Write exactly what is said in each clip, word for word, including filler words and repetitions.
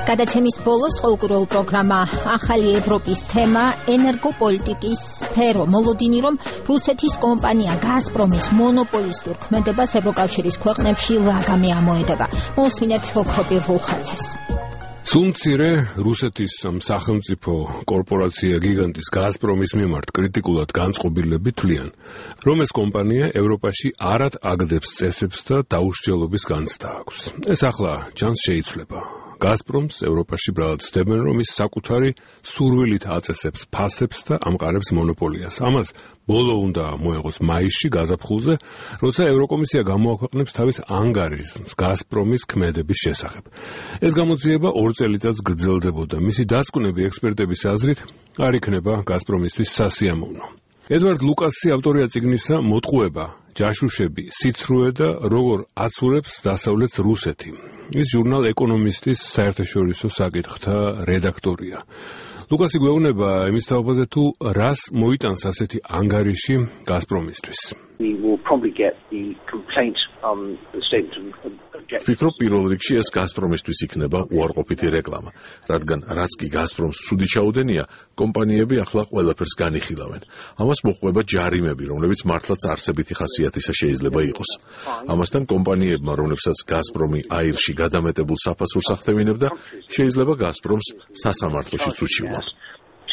გადაცემის ბოლოს ყოველკვირეულ პროგრამა ახალი ევროპის თემა ენერგოპოლიტიკის სფერო. მოლოდინი რომ რუსეთის კომპანია გაზპრომის მონოპოლისტურ ქმედებას ევროკავშირის ქვეყნებში ლაგამი ამოედება. მოусმინეთ ოქროპირულ ხაზს. სულ-მცირე რუსეთის სახელმწიფო კორპორაცია გიგანტის გაზპრომის მიმართ კრიტიკულად განწყობილები თვლიან, რომ ეს კომპანია ევროპაში არად აგდებს წესებს და დაუსჯელობის განცდა აქვს. ეს ახლა ჩანს შეიცვლება. გაზპრომს ევროპაში ბრალად ცდებენ, რომ ის საკუთარი სურვილით აწესებს ფასებს და ამყარებს მონოპოლიას. ამას ბოლო უნდა მოეღოს მაისში გაზაფხულზე, როცა ევროკომისია გამოაქვეყნებს თავის ანგარიშს გაზპრომის ქმედების შესახებ. ეს გამოძიება ორ წელიწადს გრძელდებოდა. მისი დასკვნები ექსპერტების აზრით არ იქნება გაზპრომისთვის სასიამოვნო. ედვარდ ლუკასი ავტორია წიგნისა „მოტყუება, ჯაშუშები, სიცრუე და როგორ აცურებს დასავლეთს რუსეთი“. ის ჟურნალ „ეკონომისტის“ საერთაშორისო საკითხთა რედაქტორია. ლუკასი გვეუბნება იმის თაობაზე, თუ რას მოიტანს ასეთი ანგარიში გაზპრომისთვის. ვფიქრობ, პირველ რიგში ეს გაზპრომისთვის იქნება უარყოფითი რეკლამა, რადგან რაც კი გაზპრომს ცუდი ჩაუდენია, კომპანიები ახლა ყველაფერს განიხილავენ. ამას მოჰყვება ჯარიმები, რომლებიც მართლაც არსებითი ხასიათისა შეიძლება იყოს. ამასთან კომპანიებმა, რომლებსაც გაზპრომი აირში გადამეტებულ საფასურს ახდევინებდა, შეიძლება გაზპრომს სასამართლოშიც უჩივლონ.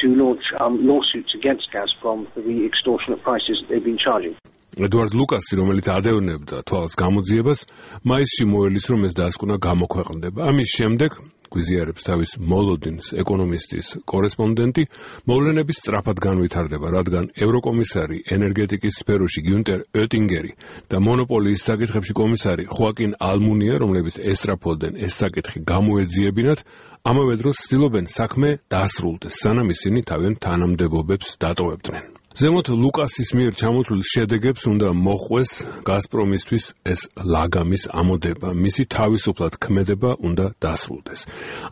to launch um, lawsuits against Gazprom for the extortionate prices that they've been charging. ედვარდ ლუკასი, რომელიც ადევნებდა თვალს გამოძიებას, მაისში მოელის, რომ ეს დასკვნა გამოქვეყნდება. ამის შემდეგ გვიზიარებს თავის მოლოდინს ეკონომისტის კორესპონდენტი, მოვლენების სწრაფად განვითარდება, რადგან ევროკომისარი ენერგეტიკის სფეროში გიუნტერ ოტინგერი და მონოპოლიის საკითხებში კომისარი ხოაკინ ალმუნია, რომლებიც ესწრაფვდნენ ეს საკითხი გამოეძიებინათ, ამავე დროს ცდილობენ საქმე დასრულდეს, სანამ ისინი თავიანთ თანამდებობებს დატოვებდნენ. ზემოთ ლუკასის მიერ ჩამოთვლილ შედეგებს უნდა მოხვეს გაზპრომისთვის ეს ლაგამის ამოდება, მისი თავისუფლად ქმედება უნდა დასრულდეს.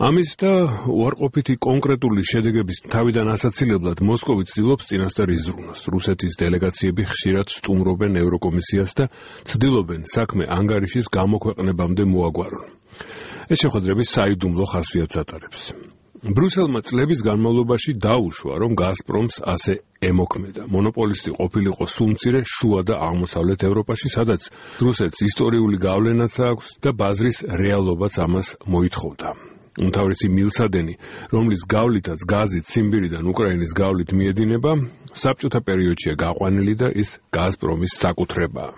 ამის და უარყოფითი კონკრეტული შედეგების თავიდან ასაცილებლად მოსკოვი ცდილობს წინასწარ იზრუნოს. რუსეთის დელეგაციები ხშირად სტუმრობენ ევროკომისიას და ცდილობენ საქმე ანგარიშის გამოქვეყნებამდე მოაგვარონ. ეს შეხვედრები საიდუმლო ხასიათს ატარებს. ბრუსელმა წლების განმავლობაში დაუშვა, რომ გაზპრომს ასე ემოქმედა. მონოპოლისტი ყოფილიყო სულ-მცირე შუა და აღმოსავლეთ ევროპაში, სადაც რუსეთს ისტორიული გავლენაც აქვს და ბაზრის რეალობაც ამას მოითხოვდა. უმთავრესი მილსადენი, რომლის გავლითაც გაზი ციმბირიდან უკრაინის გავლით მიედინება, საბჭოთა პერიოდშია გაყვანილი და ის გაზპრომის საკუთრებაა.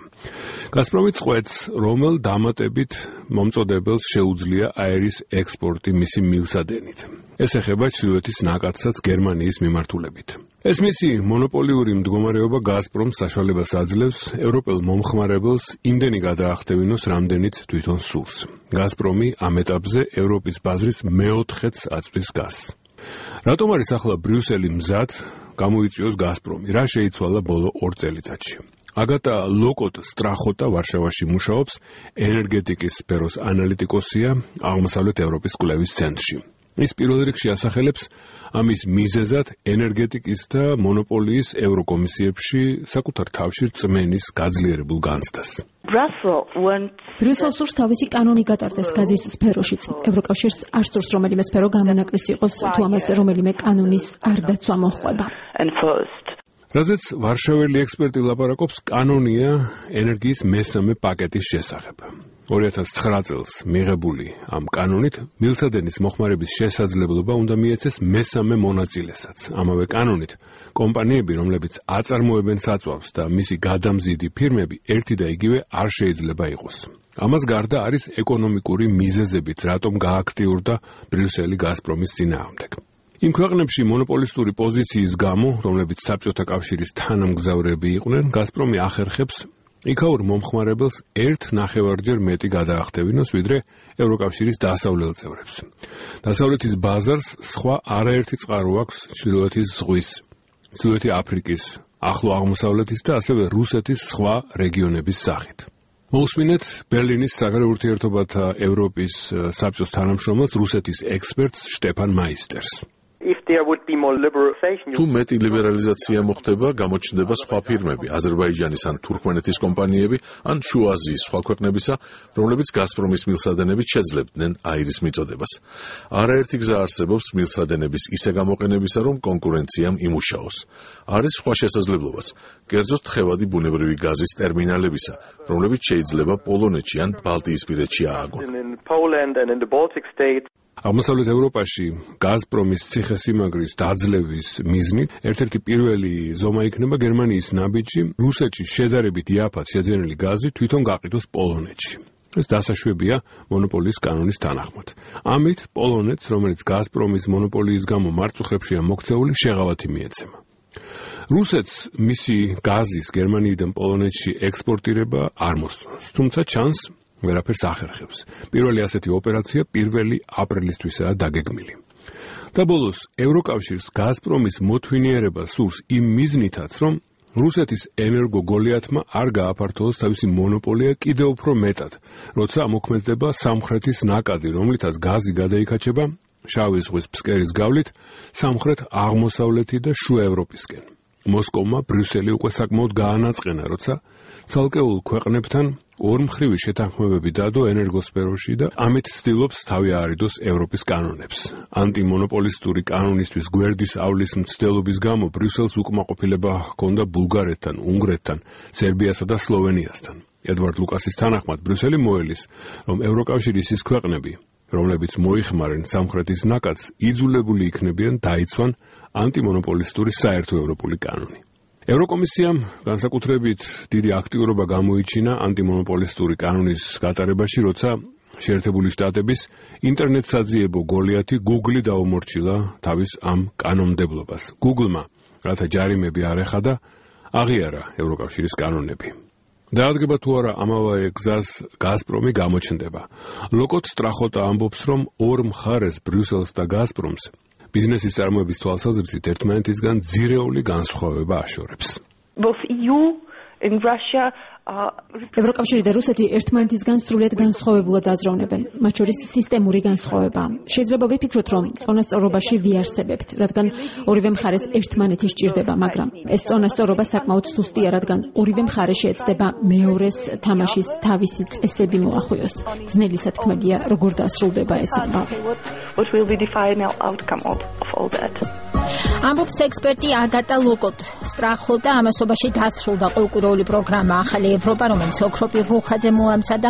გაზპრომი წყვეტს, რომელ დამატებით მომწოდებელს შეუძლია აერის ექსპორტი მისი მილსადენით. ეს ეხება ჩრდილოეთის ნაკადსაც გერმანიის მიმართულებით. ეს მისი მონოპოლიური მდგომარეობა გაზპრომს საშუალებას აძლევს ევროპელ მომხმარებელს იმდენი გადაახტევინოს, რამდენიც თვითონ სურს. გაზპრომი ამ ეტაპზე ევროპის ბაზრის მეოთხედს აწვდის გაზს. რატომ არის ახლა ბრიუსელი მზად გამოიწვიოს გაზპრომი? რა შეიცვალა ბოლო ორ წელიწადში? აგატა ლოკოტ სტრახოტა ვარშავაში მუშაობს, ენერგეტიკის სფეროს ანალიტიკოსია აღმოსავლეთ ევროპის კვლევის ცენტრში. ის პირველ რიგში ასახელებს ამის მიზეზად ენერგეტიკის და მონოპოლიის ევროკომისიებში საკუთარ თავში რწმენის გაძლიერებულ განცდას. ბრიუსელს სურს თავისი კანონი გატარდეს გაზის სფეროშიც. ევროკავშირს არ სურს რომელიმე სფერო გამონაკლისი იყოს, თუ ამას რომელიმე კანონის არ დაცვა მოჰყვება. რაზეც ვარშაველი ექსპერტი ლაპარაკობს, კანონია ენერგიის მესამე პაკეტის შესახებ. ორი ათას ცხრა წელს მიღებული ამ კანონით მილსადენის მოხმარების შესაძლებლობა უნდა მიეცეს მესამე მონაწილესაც. ამავე კანონით კომპანიები, რომლებიც აწარმოებენ საწვავს და მისი გადამზიდი ფირმები ერთი და იგივე არ შეიძლება იყოს. ამას გარდა არის ეკონომიკური მიზეზებით, რატომ გააქტიურდა ბრიუსელი გაზპრომის წინააღმდეგ. იმ ქვეყნებში მონოპოლისტური პოზიციის გამო, რომლებიც საბჭოთა კავშირის თანამგზავრები იყვნენ, გაზპრომი ახერხებს იქაურ მომხმარებელს ერთ ნახევარჯერ მეტი გადაახტევინოს, ვიდრე ევროკავშირის დასავლელ წევრებს. დასავლეთის ბაზარს სხვა არაერთი წყარო აქვს ჩრდილოეთის ზღვის, ჩრდილოეთი აფრიკის, ახლო აღმოსავლეთის და ასევე რუსეთის სხვა რეგიონების სახით. მოусმინეთ ბერლინის საგარეო ურთიერთობათა ევროპის საბჭოს თანამშრომელს, რუსეთის ექსპერტს შტეფან მაისტერს. If თუ მეტი ლიბერალიზაცია მოხდება, გამოჩნდება სხვა ფირმები, აზერბაიჯანის ან თურქმენეთის კომპანიები, ან შუა აზიის სხვა ქვეყნებისა, რომლებიც გაზპრომის მილსადენებით შეძლებდნენ აირის მიწოდებას. არაერთი გზა არსებობს მილსადენების ისე გამოყენებისა, რომ კონკურენციამ იმუშაოს. არის სხვა შესაძლებლობაც, კერძოდ თხევადი ბუნებრივი გაზის ტერმინალებისა, რომლებიც შეიძლება პოლონეთში ან ბალტიისპირეთში ააგონ. აღმოსავლეთ ევროპაში გაზპრომის ციხესიმაგრის დაძლევის მიზნით ერთ-ერთი პირველი ზომა იქნება გერმანიის ნაბიჯი რუსეთში შედარებით იაფად შეძენილი გაზი თვითონ გაყიდოს პოლონეთში. ეს დასაშვებია მონოპოლიის კანონის თანახმად. ამით პოლონეთს, რომელიც გაზპრომის მონოპოლიის გამო მარწუხებშია მოქცეული, შეღავათი მიეცემა. რუსეთს მისი გაზის გერმანიიდან პოლონეთში ექსპორტირება არ მოსწონს, თუმცა ჩანს ვერაფერს ახერხებს. პირველი ასეთი ოპერაცია პირველი აპრილისთვისაა დაგეგმილი. და ბოლოს ევროკავშირს გაზპრომის მოთვინიერება სურს იმ მიზნითაც, რომ რუსეთის ენერგო გოლიათმა არ გააფართოვოს თავისი მონოპოლია კიდევ უფრო მეტად, როცა ამოქმედდება სამხრეთის ნაკადი, რომლითაც გაზი გადაიქაჩება შავი ზღვის ფსკერის გავლით სამხრეთ აღმოსავლეთი და შუა ევროპისკენ. მოსკოვმა ბრიუსელი უკვე საკმაოდ გაანაწყენა, როცა ცალკეულ ქვეყნებთან ორმხრივი შეთანხმებები დადო ენერგოსფეროში და ამით ცდილობს თავი აარიდოს ევროპის კანონებს. ანტიმონოპოლისტური კანონისთვის გვერდის ავლის მცდელობის გამო ბრიუსელს უკმაყოფილება ჰქონდა ბულგარეთთან, უნგრეთთან, სერბიასა და სლოვენიასთან. ედვარდ ლუკასის თანახმად ბრიუსელი მოელის, რომ ევროკავშირის ის ქვეყნები, რომლებიც მოიხმარენ სამხრეთის ნაკადს, იძულებული იქნებიან დაიცვან ანტიმონოპოლისტური საერთო ევროპული კანონი. ევროკომისიამ განსაკუთრებით დიდი აქტიურობა გამოიჩინა ანტიმონოპოლისტური კანონის გატარებაში, როცა შეერთებული შტატების ინტერნეტსაძიებო გოლიათი Google დაუმორჩილა თავის ამ კანონმდებლობას. Google-მა, რათა ჯარიმები არ ეხადა, აღიარა ევროკავშირის კანონები. დაადგება თუ არა ამავე გზას გაზპრომი გამოჩნდება. ლოკოთ სტრახოტა ამბობს, რომ ორ მხარეს ბრიუსელს და გაზპრომს ბიზნესის წარმოების თვალსაზრისით ერთმანეთისგან ძირეული განსხვავება აშორებს. ევროკავშირი და რუსეთი ერთმანეთისგან სრულიად განსხვავებულად აზროვნებენ, მათ შორის სისტემური განსხვავება. შეიძლება ვიფიქროთ, რომ წონასწორობაში ვიარსებებთ, რადგან ორივე მხარეს ერთმანეთი სჭირდება, მაგრამ ეს წონასწორობა საკმაოდ სუსტია, რადგან ორივე მხარე შეეცდება მეორეს თამაშის თავისი წესები მოახვიოს. ძნელი სათქმელია, როგორ დასრულდება ეს ამბავი. ამბობს ექსპერტი აგატა ლოკოტ სტრახოტა. ამასობაში დასრულდა ყოველკვირეული პროგრამა ახალი ევროპა, რომელიც ოქროპირ რუხაძე მოამზადა.